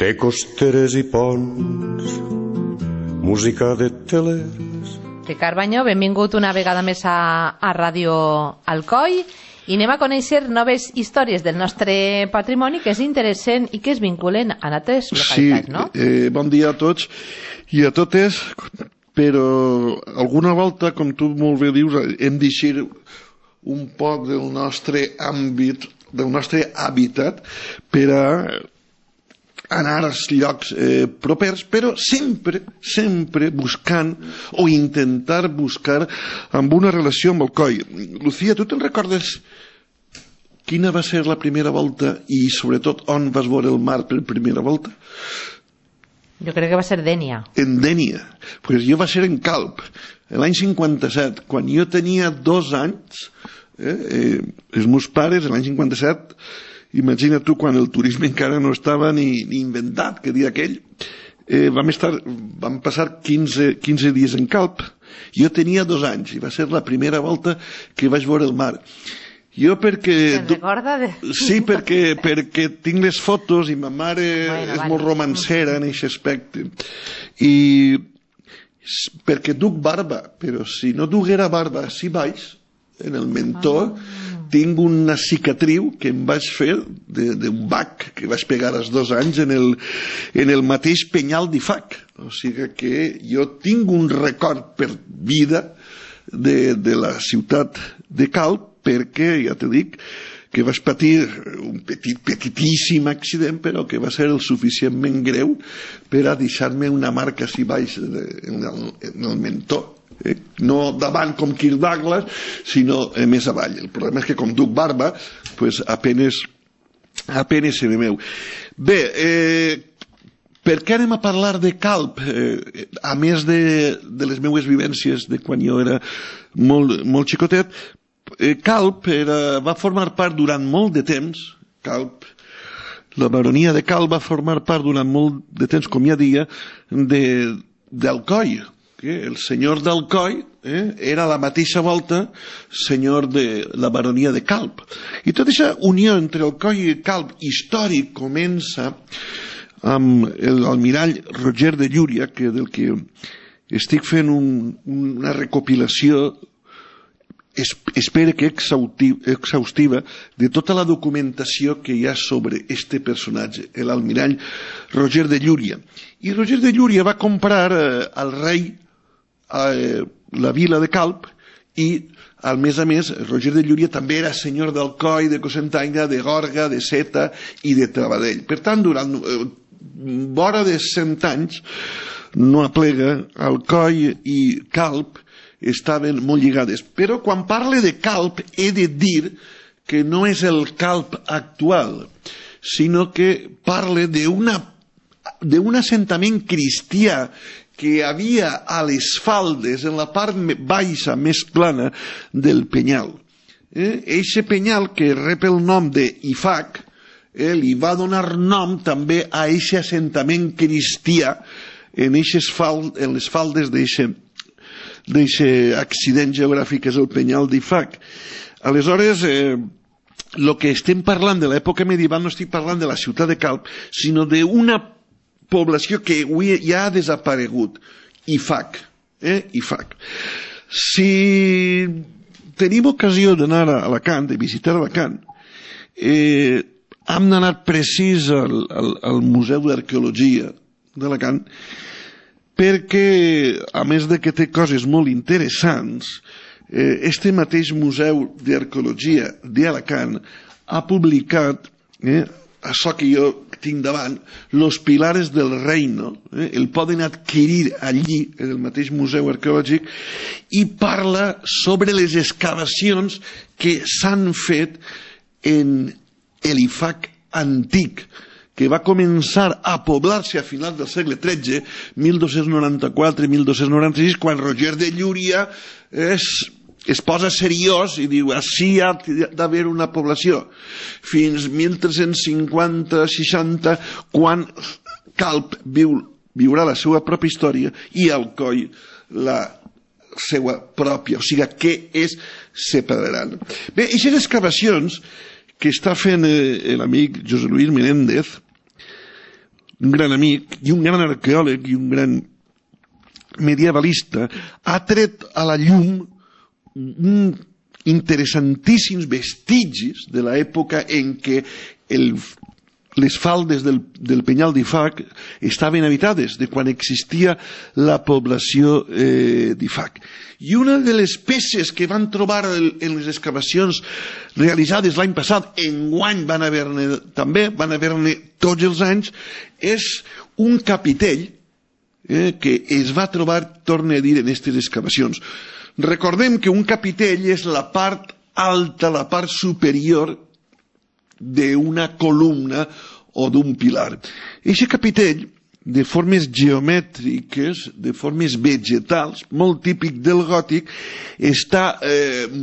Té costeres i ponts, música de telers. Ricard Bañó, benvingut una vegada més a Ràdio Alcoi i anem a conèixer noves històries del nostre patrimoni que és interessant i que es vinculen a altres localitats, no? Sí, bon dia a tots i a totes, però alguna volta, com tu molt bé dius, hem d'eixir un poc del nostre àmbit, del nostre hàbitat, per a anar als llocs propers, però sempre buscant o intentar buscar amb una relació amb Alcoi. Lucía, tu te'n recordes quina va ser la primera volta i sobretot on vas veure el mar per primera volta? Jo crec que va ser Dénia. En Dénia. Pues jo va ser en Calp, l'any 57, quan jo tenia 2 anys, els meus pares, l'any 57, imagina tu quan el turisme encara no estava ni inventat, que dia aquell, vam passar 15 dies en Calp. Jo tenia 2 anys i va ser la primera volta que vaig veure el mar. Jo perquè... Te'n recorda? Sí, perquè tinc les fotos i ma mare és molt romancera en aquest aspecte. I perquè duc barba, però si no duguera barba així baix, en el mentó, tinc una cicatriu que em vaig fer d'un bac que vaig pegar als 2 anys en el mateix penyal d'Ifac. O sigui que jo tinc un record per vida de la ciutat de Calp, perquè, ja te dic, que vaig patir un petitíssim accident, però que va ser el suficientment greu per a deixar-me una marca així baix en el mentó. No davant com Kirk Douglas, sinó més avall. El problema és que com duc barba, pues apenes se me veu. Bé, per què anem a parlar de Calp? A més de les meues vivències de quan jo era molt xicotet, Calp va formar part durant molt de temps, la baronia de Calp va formar part durant molt de temps, com ja deia, d'Alcoi. El senyor d'Alcoi era a la mateixa volta senyor de la baronia de Calp. I tota aquesta unió entre Alcoi i Calp històric comença amb l'almirall Roger de Llúria, del que estic fent una recopilació, espero que exhaustiva, de tota la documentació que hi ha sobre este personatge, l'almirall Roger de Llúria. I Roger de Llúria va comprar al rei la vila de Calp i, a més, Roger de Llúria també era senyor d'Alcoi, de Cocentaina, de Gorga, de Seta i de Travadell. Per tant, durant vora de 100 anys, no aplega, Alcoi i Calp estaven molt lligades. Però quan parle de Calp he de dir que no és el Calp actual, sinó que parle d'un assentament cristià que hi havia a les faldes, en la part baixa, més plana, del penyal. Eixe penyal, que rep el nom d'Ifac, li va donar nom també a eixe assentament cristià en les faldes d'eixe accident geogràfic que és el penyal d'Ifac. Aleshores, el que estem parlant de l'època medieval no estic parlant de la ciutat de Calp, sinó d'una població que avui ja ha desaparegut, Ifac. Si tenim ocasió d'anar a Alacant, de visitar Alacant, hem d'anar precís al Museu d'Arqueologia d'Alacant, perquè, a més de que té coses molt interessants, este mateix Museu d'Arqueologia d'Alacant ha publicat, això que jo tinc davant, Los Pilares del Reino, el poden adquirir allí, en el mateix museu arqueològic, i parla sobre les excavacions que s'han fet en l'Ifac antic, que va començar a poblar-se a finals del segle XIII, 1294-1296, quan Roger de Llúria es posa seriós i diu així ha d'haver una població, fins 1350-60, quan Calp viurà la seva pròpia història i Alcoi la seva pròpia, o sigui, què es separaran. Bé, aquestes excavacions que està fent l'amic José Luis Menéndez un gran amic i un gran arqueòleg i un gran medievalista, ha tret a la llum interessantíssims vestigis de l'època en què les faldes del Penyal d'Ifac estaven habitades, de quan existia la població d'Ifac. I una de les peces que van trobar en les excavacions realitzades l'any passat, enguany van haver-ne tots els anys, és un capitell que es va trobar, torne a dir, en aquestes excavacions. Recordem que un capitell és la part alta, la part superior d'una columna o d'un pilar. Aquest capitell, de formes geomètriques, de formes vegetals, molt típic del gòtic, està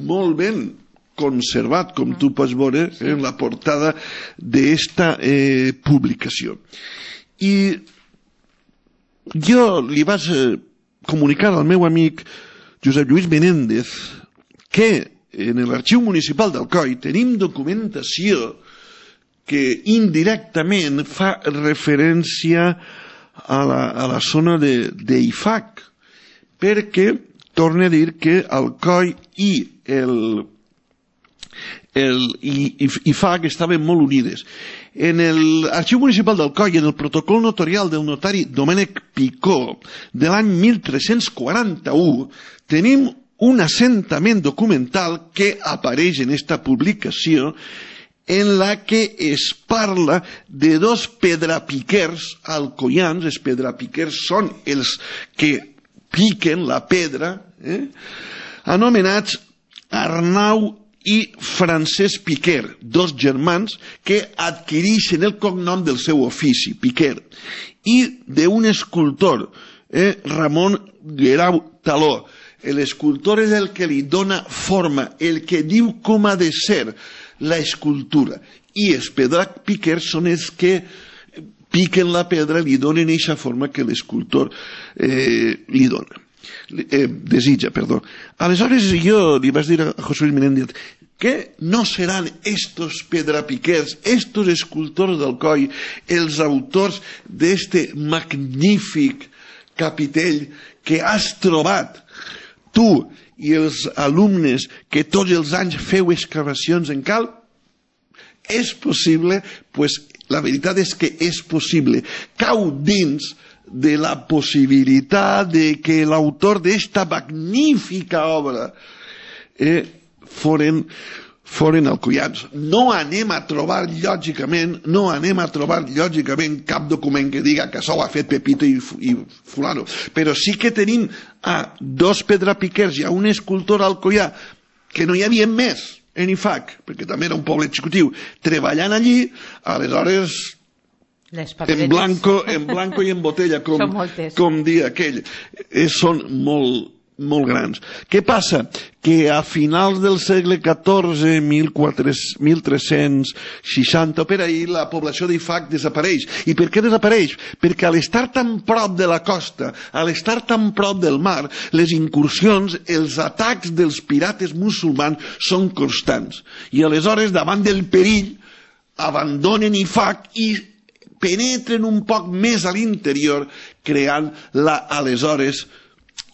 molt ben conservat, com tu pots veure en la portada d'esta publicació. I jo li vaig comunicar al meu amic Josep Lluís Menéndez que en l'Arxiu Municipal d'Alcoi tenim documentació que indirectament fa referència a la zona d'Ifac, perquè torna a dir que Alcoi i Ifac estaven molt unides. En l'Arxiu Municipal d'Alcoi, en el protocol notarial del notari Domènec Picó de l'any 1341, tenim un assentament documental que apareix en esta publicació en la que es parla de dos pedrapiquers alcoians. Els pedrapiquers són els que piquen la pedra, anomenats Arnau i Francesc Piquer, dos germans que adquireixen el cognom del seu ofici, Piquer, i d'un escultor, Ramon Guerau Taló. L'escultor és el que li dona forma, el que diu com ha de ser la escultura, i els pedrapiquers són els que piquen la pedra i li donen aquesta forma que l'escultor li dona. Desitja, perdó. Aleshores jo li vaig dir a José Luis Menéndez que no seran estos pedrapiquers, estos escultors d'Alcoi, els autors d'este magnífic capitell que has trobat tu i els alumnes que tots els anys feu excavacions en Calp? És possible? Pues la veritat és que és possible. Cau dins de la possibilitat de que l'autor d'esta magnífica obra foren alcoians. No anem a trobar lògicament cap document que diga que això ho ha fet Pepito i fulano, però sí que tenim a dos pedrapiquers i a un escultor alcoià que no hi havia més en Ifac, perquè també era un poble xicotiu, treballant allí. Aleshores en blanco i en botella, com dia aquell, són molt grans. Què passa? Que a finals del segle XIV, 1360, per ahir, la població d'Ifac desapareix. I per què desapareix? Perquè a l'estar tan prop de la costa, a l'estar tan prop del mar, les incursions, els atacs dels pirates musulmans són constants. I aleshores, davant del perill, abandonen Ifac i penetren un poc més a l'interior, creant la aleshores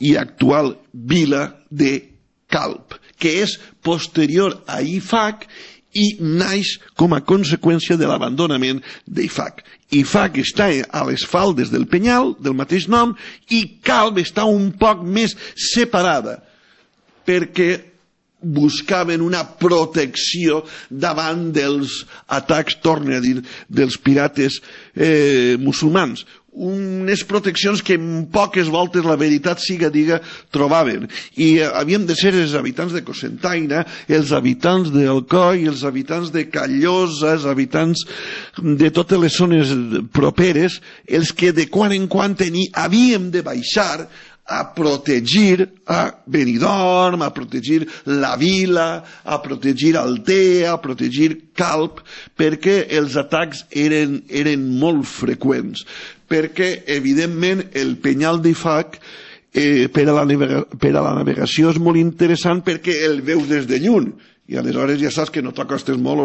i actual vila de Calp, que és posterior a Ifac i naix com a conseqüència de l'abandonament d'Ifac. Ifac està a les faldes del Penyal, del mateix nom, i Calp està un poc més separada, perquè buscaven una protecció davant dels atacs, torne a dir, dels pirates musulmans. Unes proteccions que en poques voltes, la veritat siga diga, trobaven. I havien de ser els habitants de Cocentaina, els habitants d'Alcoi, els habitants de Callosa, els habitants de totes les zones properes, els que de quan en quan havíem de baixar a protegir a Benidorm, a protegir la vila, a protegir Altea, a protegir Calp, perquè els atacs eren molt freqüents. Perquè, evidentment, el Penyal d'Ifac per a la navegació és molt interessant perquè el veus des de lluny, i aleshores ja saps que no t'acostes molt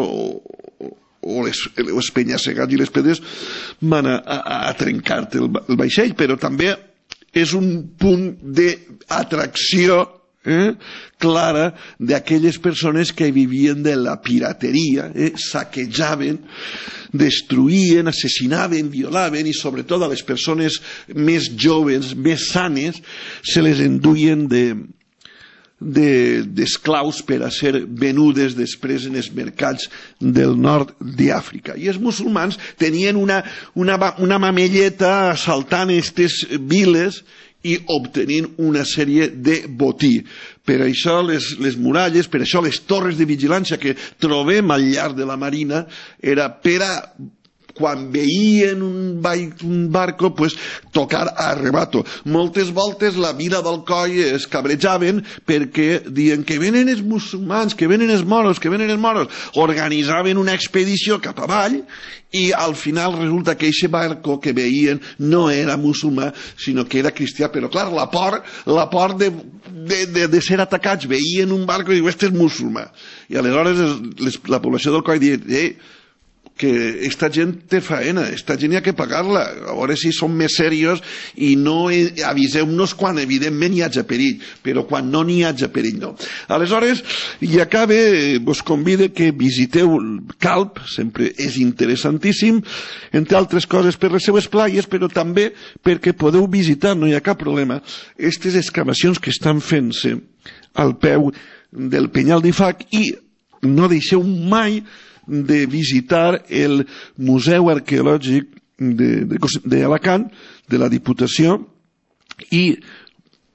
o les penya-segats i les pedres van a trencar-te el vaixell, però també és un punt d'atracció clara d'aquelles persones que vivien de la pirateria, saquejaven, destruïen, assassinaven, violaven, i sobretot a les persones més joves, més sanes, se les enduien d'esclaus per a ser venudes després en els mercats del nord d'Àfrica. I els musulmans tenien una mamelleta assaltant aquestes viles i obtenint una sèrie de botí. Per això les muralles, per això les torres de vigilància que trobem al llarg de la marina, era per a quan veien un barco, pues, tocar a arrebato. Moltes voltes la vila d'Alcoi es cabrejaven perquè diuen que venen els musulmans, que venen els moros, que venen els moros. Organitzaven una expedició cap avall i al final resulta que aquest barco que veien no era musulmà, sinó que era cristià. Però clar, la por de ser atacats, veien un barco i diuen, este és musulmà. I aleshores la població d'Alcoi diuen, que esta gent té faena, esta gent hi ha que pagar-la, a veure si som més serios i no aviseu-nos quan evidentment hi hagi perill, però quan no n'hi hagi perill no. Aleshores, i acabe, vos convide que visiteu Calp, sempre és interessantíssim, entre altres coses per les seues playes, però també perquè podeu visitar, no hi ha cap problema, aquestes excavacions que estan fent-se al peu del Penyal d'Ifac, i no deixeu mai de visitar el Museu Arqueològic d'Alacant, de la Diputació, i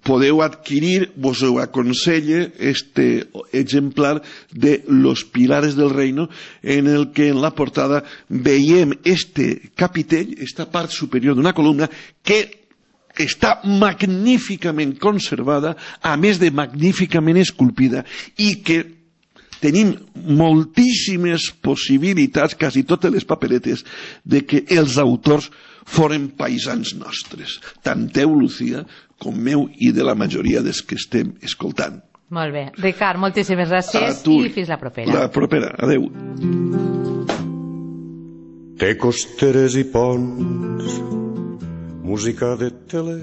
podeu adquirir, vos ho aconselle, este exemplar de Los Pilares del Reino, en el que en la portada veiem este capitell, esta part superior d'una columna, que està magníficament conservada, a més de magníficament esculpida, i que tenim moltíssimes possibilitats, quasi totes les paperetes, de que els autors foren paisans nostres, tant teu, Lucía, com meu i de la majoria dels que estem escoltant. Molt bé. Ricard, moltíssimes gràcies i fins la propera. La propera, adeu. Té costeres i ponts, música de teler,